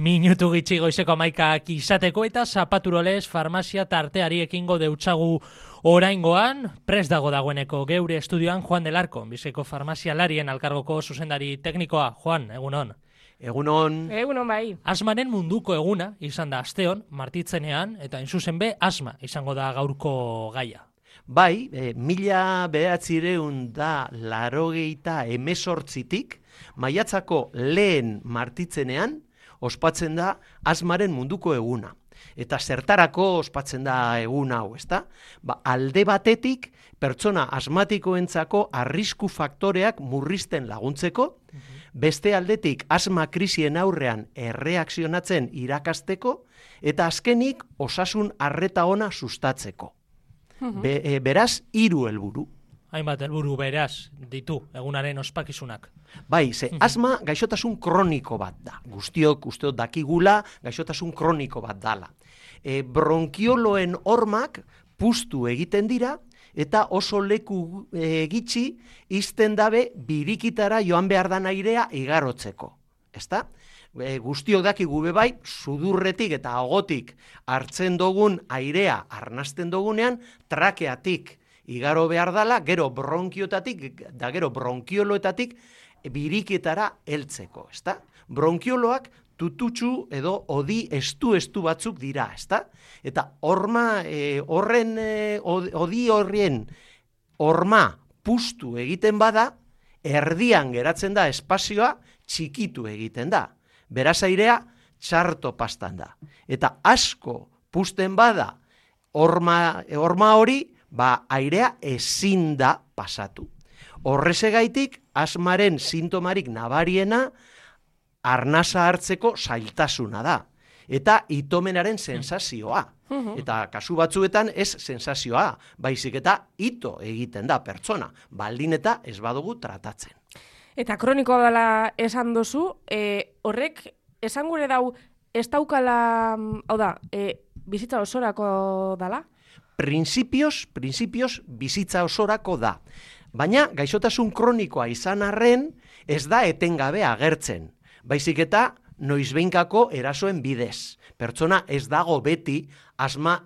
Minutu gitxi goizeko 11 izateko eta Zapaturolez farmazia tarteari ekingo deutsagu oraingoan, prest dagoeneko geure estudioan Juan del Arco, Bizkaiko farmazialarien elkargoko zuzendari teknikoa. Juan, egunon. Egunon. Egunon bai. Asmaren munduko eguna izan da asteon, martitzenean, eta inzuzen be asma izango da gaurko gaia. Bai, 1998tik maiatzako lehen martitzenean ospatzen da asmaren munduko eguna. Eta zertarako ospatzen da egun hau, ezta? Alde batetik pertsona asmatikoentzako arrisku faktoreak murrizten laguntzeko, beste aldetik asma krisien aurrean erreakzionatzen irakasteko, eta azkenik osasun arreta ona sustatzeko. Beraz, 3 helburu. Hainbat helburu beraz ditu egunaren ospakizunak. Bai, ze asma gaixotasun kroniko bat da. Guztiok usteot dakigula gaixotasun kroniko bat dala. Bronkioloen hormak puztu egiten dira eta oso leku gitxi izten dabe birikitara joan behar dan airea igarotzeko. Ezta? Guztiok dakigu be bai, sudurretik eta agotik hartzen dugun airea arnasten dugunean, trakeatik igaro behar dala, gero bronkiotatik, da gero bronkioloetatik biriketara heltzeko, ezta? Bronkioloak tututxu edo odi estu batzuk dira, ezta? Eta odi horrien horma puztu egiten bada, erdian geratzen da espazioa txikitu egiten da. Beraz airea txarto pastan da. Eta asko puzten bada horma hori, airea ezin da pasatu. Horrezegaitik, asmaren sintomarik nabariena arnasa hartzeko zailtasuna da. Eta itomenaren sensazioa. Eta kasu batzuetan ez sensazioa, baizik eta ito egiten da pertsona, baldin eta ez badugu tratatzen. Eta kronikoa dela esan dozu, horrek esan gure dau ez daukala, hau da, bizitza osorako dala? Printzipioz bizitza osorako da. Baina gaixotasun kronikoa izan arren ez da etengabe agertzen. Baizik eta noizbeinkako erasoen bidez. Pertsona ez dago beti asma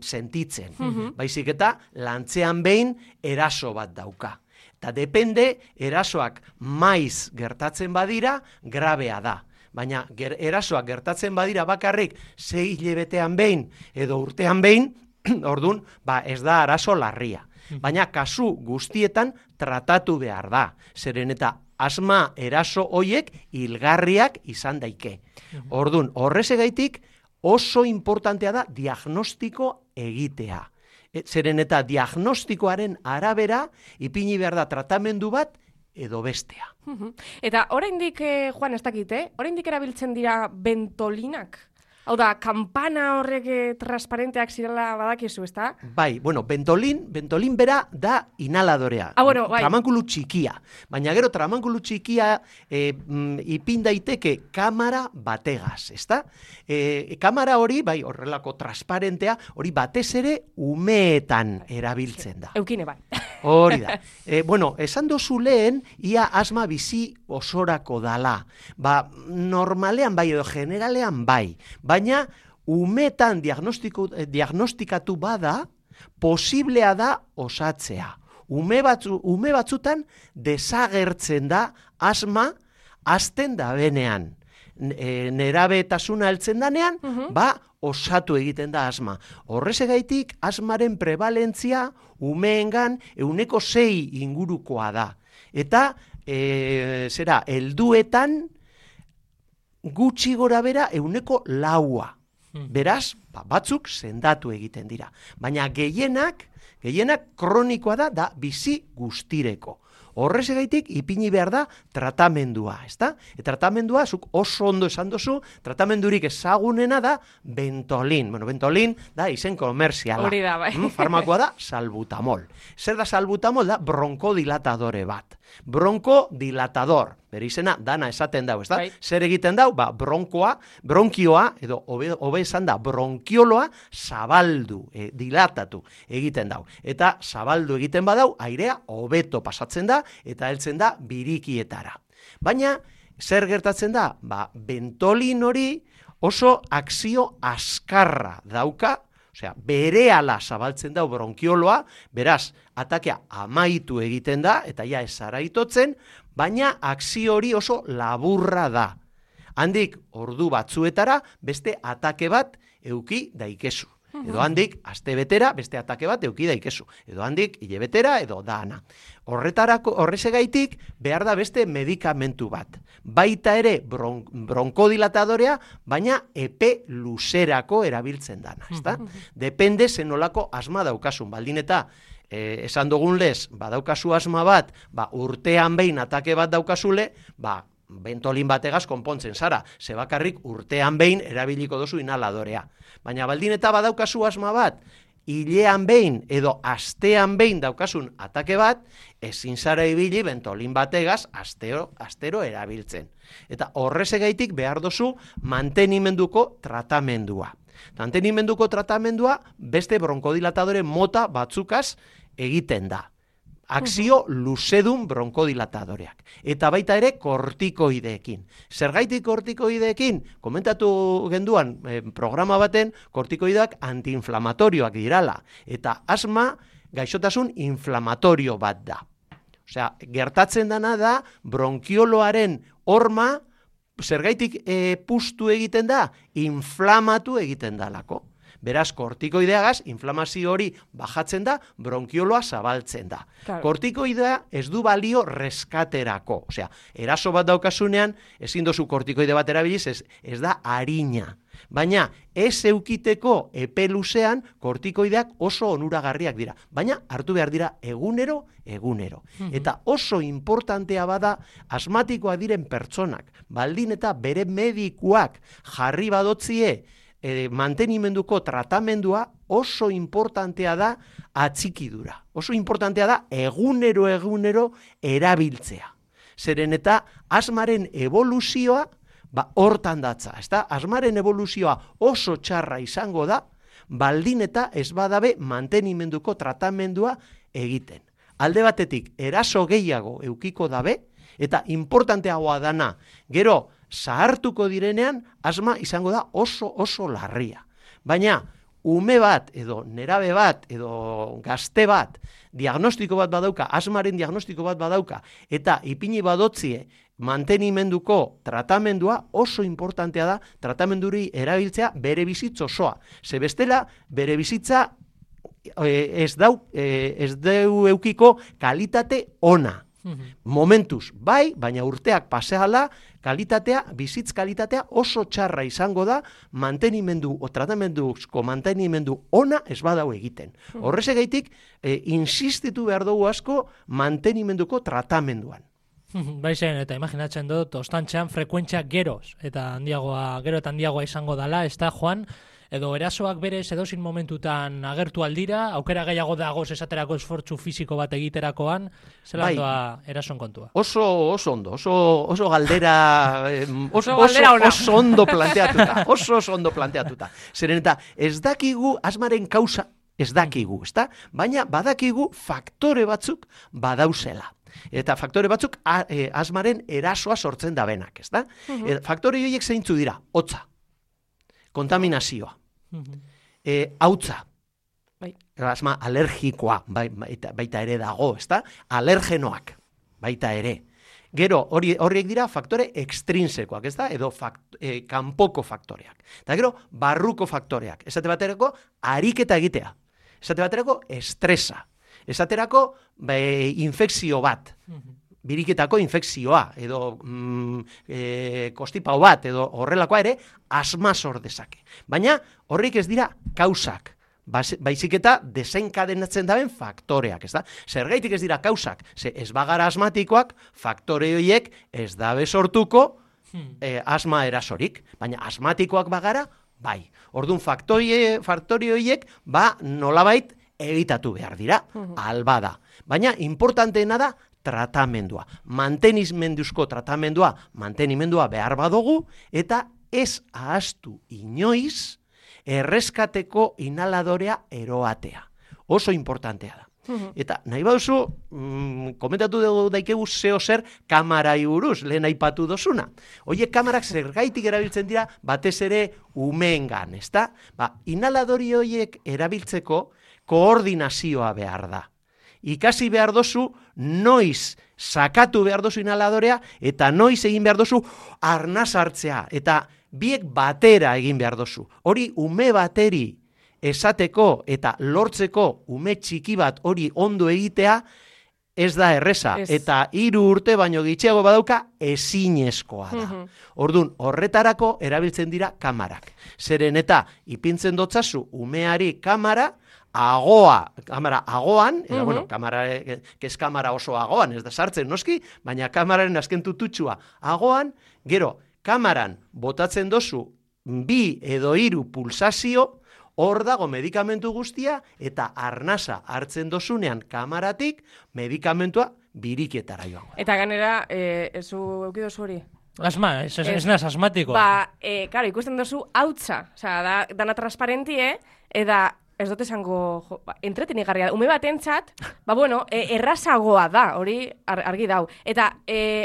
sentitzen. Baizik eta lantzean behin eraso bat dauka. Eta depende, erasoak maiz gertatzen badira, grabea da. Baina erasoak gertatzen badira bakarrik 6 hilabetean behin edo urtean behin, ordun, ez da arazo larria. Baina kasu guztietan tratatu behar da. Zeren eta asma eraso hoiek hilgarriak izan daike. Ordun, horrezegaitik oso importantea da diagnostiko egitea. Zeren eta diagnostikoaren arabera ipini behar da tratamendu bat edo bestea. Eta oraindik, Juan, ez dakite, oraindik erabiltzen dira bentolinak? Hau da, kampana horrek transparenteak zirela badakizu, ezta? Bai, bentolin bera da inhaladorea. Bueno, bai. Tramankulu txikia. Baina gero tramankulu txikia ipin daiteke kamara bategaz, ezta? Kamara hori, bai, horrelako transparentea, hori batez ere umeetan erabiltzen da. Eukine, bai. Hori da. Esan dozu lehen, ia asma bizi osorako dala. Normalean bai edo generalean bai. Baina umetan diagnostikatu bada, posiblea da osatzea. Ume batzutan desagertzen da asma hasten da benean. Nerabetasuna heltzen danean, osatu egiten da asma. Horrezegaitik, asmaren prevalentzia umeengan 6% ingurukoa da. Eta, helduetan gutxi gora bera 4%. Beraz, batzuk sendatu egiten dira. Baina gehienak kronikoa da bizi guztireko. Horrezegaitik ipini behar da tratamendua, ezta? Tratamendua, zuk oso ondo esan dozu, tratamendurik ezagunena da bentolin. Bentolin da izen komerziala. Hori da, bai. Farmakoa da salbutamol. Zer da salbutamol? Da bronkodilatadore bat. Bronkodilatador. Bere izena dana esaten dau, ezta? Bai. Zer egiten dau? Bronkioa, edo hobe esan da, bronkioloa zabaldu, dilatatu egiten dau. Eta zabaldu egiten badau, airea hobeto pasatzen da, eta heltzen da birikietara. Baina, zer gertatzen da? Bentolin hori oso akzio askarra dauka, osea, berehala zabaltzen da bronkioloa, beraz, atakea amaitu egiten da, eta ja ezara itotzen, baina akzio hori oso laburra da. Handik, ordu batzuetara, beste atake bat euki daikezu. Edo handik, aste betera, beste atake bat euki daikezu. Edo handik, hilebetera, edo dana. Horrezegaitik, behar da beste medikamentu bat. Baita ere, bronkodilatadorea, baina epe luzerako erabiltzen dana, ezta? Depende zenolako asma daukasun. Baldin eta, esan dugun lez, badaukazu asma bat, urtean behin atake bat daukazule, bentolin bategaz konpontzen zara, ze bakarrik urtean behin erabiliko dozu inhaladorea. Baina baldin eta badaukazu asma bat, hilean behin edo astean behin daukasun atake bat, ezin zara ibili bentolin bategaz astero erabiltzen. Eta horrezegaitik behar dozu mantenimenduko tratamendua. Mantenimenduko tratamendua beste bronkodilatadore mota batzukaz egiten da. Akzio luzedun bronkodilatadoreak. Eta baita ere kortikoideekin. Zergaitik kortikoideekin? Komentatu genduan programa baten kortikoideak antiinflamatorioak dirala. Eta asma gaixotasun inflamatorio bat da. Osea, gertatzen dana da bronkioloaren horma zergaitik pustu egiten da? Inflamatu egiten dalako. Beraz, kortikoideagaz, inflamazio hori bajatzen da, bronkioloa zabaltzen da. Claro. Kortikoidea ez du balio reskaterako. Osea, eraso bat daukasunean, ezin dozu kortikoide bat erabiliz, ez da harina. Baina, ez eukiteko epe luzean, kortikoideak oso onuragarriak dira. Baina, hartu behar dira egunero. Eta oso importantea bada, asmatikoa diren pertsonak, baldin eta bere medikuak jarri badotzie, mantenimenduko tratamendua oso importantea da atxikidura. Oso importantea da egunero erabiltzea. Zeren eta asmaren evoluzioa hortan datza. Asmaren evoluzioa oso txarra izango da, baldin eta ez badabe mantenimenduko tratamendua egiten. Alde batetik, eraso gehiago eukiko dabe, eta importanteagoa dana, gero, zahartuko direnean, asma izango da oso larria. Baina, ume bat, edo nerabe bat, edo gazte bat, diagnostiko bat badauka, asmaren diagnostiko bat badauka, eta ipini badotzie mantenimenduko tratamendua oso importantea da, tratamenduri erabiltzea bere bizitza osoa. Ze bestela, bere bizitza ez deu eukiko kalitate ona. Momentuz, bai, baina urteak paseala, bizitz kalitatea oso txarra izango da tratamenduzko mantenimendu ona ez badau egiten. Horrezegaitik, insistitu behar dugu asko mantenimenduko tratamenduan. Baizen, eta imaginatzen dut, ostantxean frekuentzia gero eta handiagoa izango dala, ez da, Juan? Edo erasoak berez edozein momentutan agertu aldira, aukera gehiago dagoz esaterako esfortzu fisiko bat egiterakoan, zelan doa erason kontua? Oso ondo, oso galdera, oso ondo planteatuta. Zeren eta ez dakigu asmaren kausa, ez dakigu, ezta? Baina badakigu faktore batzuk badauzela. Eta faktore batzuk asmaren erasoa sortzen dabenak, ezta? Faktore horiek zeintzu dira, hotza. Kontaminazioa, hautza, asma alergikoa, baita ere dago, ezta? Alergenoak, baita ere. Gero, horiek dira faktore extrinsekoak, ezta? Edo kanpoko faktoreak. Eta gero, barruko faktoreak. Esate baterako, ariketa egitea. Esate baterako, estresa. Esaterako, infekzio bat. Biriketako infekzioa, edo kostipau bat, edo horrelakoa ere, asma sor dezake. Baina horrik ez dira kausak, baizik eta desenkadenatzen daben faktoreak, ez da? Zergaitik ez dira kausak, ze ez bagara asmatikoak, faktore horiek ez dabe sortuko asma erasorik, baina asmatikoak bagara, bai. Orduan faktore horiek, nolabait egitatu behar dira, albada. Baina importanteena da, tratamendua. Mantenimenduzko tratamendua, mantenimendua behar badugu, eta ez ahaztu inoiz erreskateko inhaladorea eroatea. Oso importantea da. Eta nahi baduzu, komentatu dugu daikegu zeo zer kamerai buruz, lehen aipatu dozuna. Oie, kamerak zergaitik erabiltzen dira batez ere umeengan, ezta? Inhaladori horiek erabiltzeko koordinazioa behar da. Ikasi behar dozu, noiz sakatu behar dozu inhaladorea, eta noiz egin behar dozu arnaz hartzea, eta biek batera egin behar dozu. Hori ume bateri esateko eta lortzeko ume txiki bat hori ondo egitea, ez da erreza, eta 3 urte baino gitxiago badauka ezinezkoa da. Orduan, horretarako erabiltzen dira kamarak. Zeren eta ipintzen dotzazu umeari kamara agoan, kamara, ez kamara oso agoan, ez da sartzen noski, baina kamararen azken tututxua agoan, gero, kamaran botatzen dozu 2 edo 3 pulsazio, hor dago medikamentu guztia, eta arnasa hartzen dozunean kamaratik, medikamentua biriketara joango. Eta ganera, ezu eukidozu hori? Asma, ez naz asmatikoa. Karo, ikusten dozu hautza, dana transparentie, eta ez dut esango, entretenigarria, ume bat entzat, errazagoa da, hori argi dau. Eta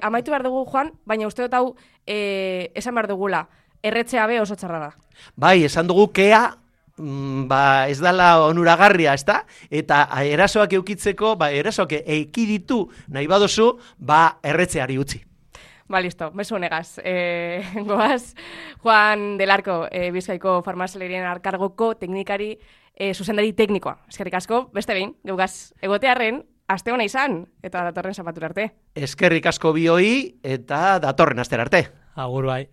amaitu behar dugu, Juan, baina uste dut hau esan behar dugula, erretzea be oso txarra da. Bai, esan dugu kea, ez dala onuragarria, ezta? Eta erasoak eukitzeko, erasoak eikiditu nahi badozu, erretzeari utzi. Listo, mesu honegaz. Goaz, Juan del Arco, Bizkaiko farmazialarien elkargoko teknikari, zuzendari teknikoa. Eskerrik asko, beste behin, geugaz egotearren, aste hona izan, eta datorren zapatura arte. Eskerrik asko bioi, eta datorren astera arte. Agur bai.